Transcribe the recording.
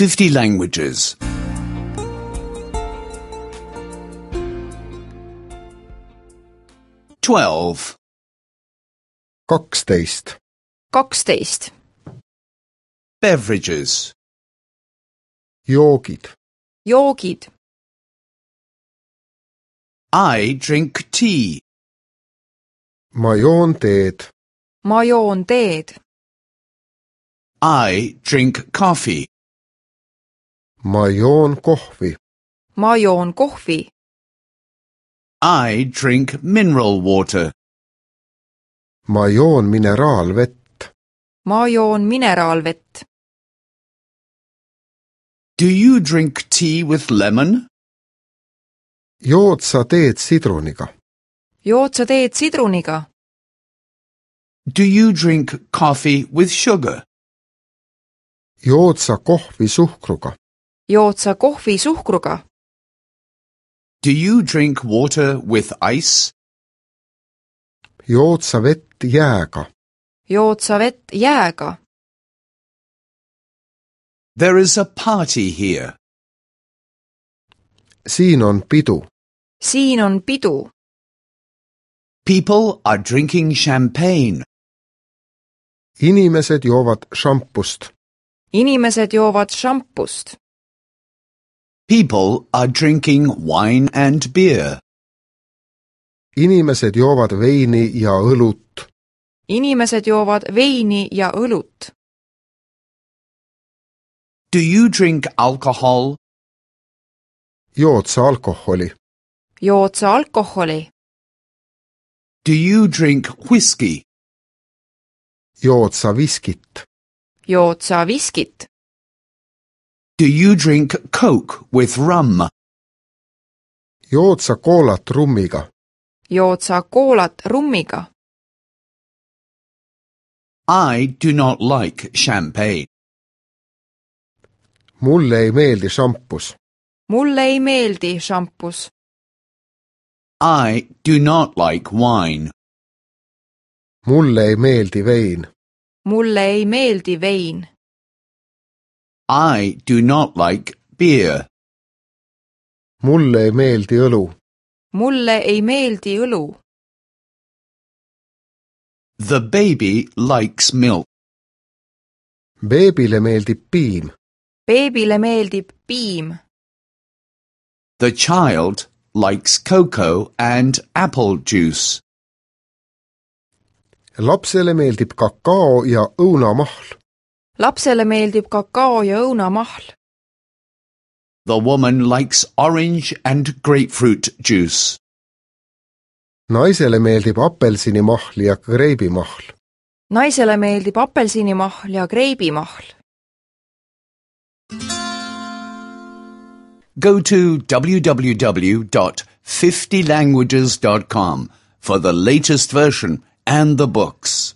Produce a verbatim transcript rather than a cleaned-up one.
fifty languages. Twelve. kaksteist. kaksteist. Beverages. joogid. joogid. I drink tea. ma joon teed. ma joon teed. I drink coffee. ma joon kohvi. ma joon kohvi. I drink mineral water. ma joon mineraalvett. ma joon mineraalvett. Do you drink tea with lemon? jood sa teed sidruniga. jood sa teed sidruniga. Do you drink coffee with sugar? jood sa kohvi suhkruga. jood sa kohvi suhkruga. Do you drink water with ice? jood sa vett jääga. jood sa vett jääga. There is a party here. siin on pidu. siin on pidu. People are drinking champagne. inimesed joovad šampust. inimesed joovad šampust. People are drinking wine and beer. inimesed joovad veini ja õlut. inimesed joovad veini ja õlut. Do you drink alcohol? jood sa alkoholi. jood sa alkoholi. Do you drink whiskey? jood sa viskit. jood sa viskit. Do you drink Coke with rum? jood sa koolat rummiga. jood sa koolat rummiga. I do not like champagne. mulle ei meeldi šampus. mulle ei meeldi šampus. I do not like wine. mulle ei meeldi vein. mulle ei meeldi vein. I do not like beer. mulle ei meeldi õlu. mulle ei meeldi õlu. The baby likes milk. beebile meeldib piim. beebile meeldib piim. The child likes cocoa and apple juice. lapsele meeldib kakao ja õunamahl. lapsele meeldib kakao ja õunamahl. The woman likes orange and grapefruit juice. naisele meeldib apelsinimahl ja kreibimahl. naisele meeldib apelsinimahl ja kreibimahl. Go to w w w dot fifty languages dot com for the latest version and the books.